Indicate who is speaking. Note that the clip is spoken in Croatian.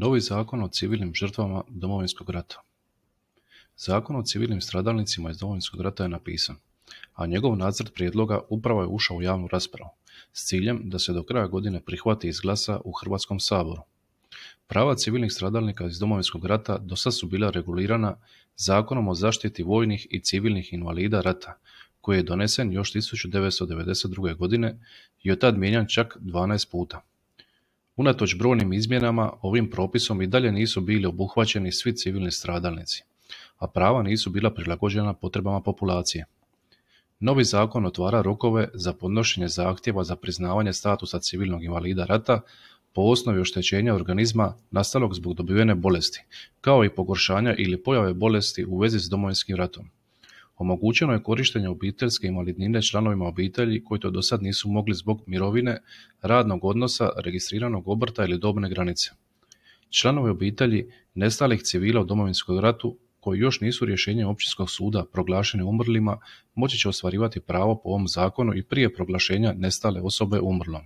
Speaker 1: Novi zakon o civilnim žrtvama Domovinskog rata. Zakon o civilnim stradalnicima iz Domovinskog rata je napisan, a njegov nacrt prijedloga upravo je ušao u javnu raspravu, s ciljem da se do kraja godine prihvati i izglasa u Hrvatskom saboru. Prava civilnih stradalnika iz Domovinskog rata dosad su bila regulirana Zakonom o zaštiti vojnih i civilnih invalida rata, koji je donesen još 1992. godine i od tad mijenjan čak 12 puta. Unatoč brojnim izmjenama, ovim propisom i dalje nisu bili obuhvaćeni svi civilni stradalnici, a prava nisu bila prilagođena potrebama populacije. Novi zakon otvara rokove za podnošenje zahtjeva za priznavanje statusa civilnog invalida rata po osnovi oštećenja organizma nastalog zbog dobivene bolesti, kao i pogoršanja ili pojave bolesti u vezi s Domovinskim ratom. Omogućeno je korištenje obiteljske invalidnine članovima obitelji koji to dosad nisu mogli zbog mirovine, radnog odnosa, registriranog obrta ili dobne granice. Članovi obitelji nestalih civila u Domovinskom ratu koji još nisu rješenjem općinskog suda proglašeni umrlima moći će ostvarivati pravo po ovom zakonu i prije proglašenja nestale osobe umrlom.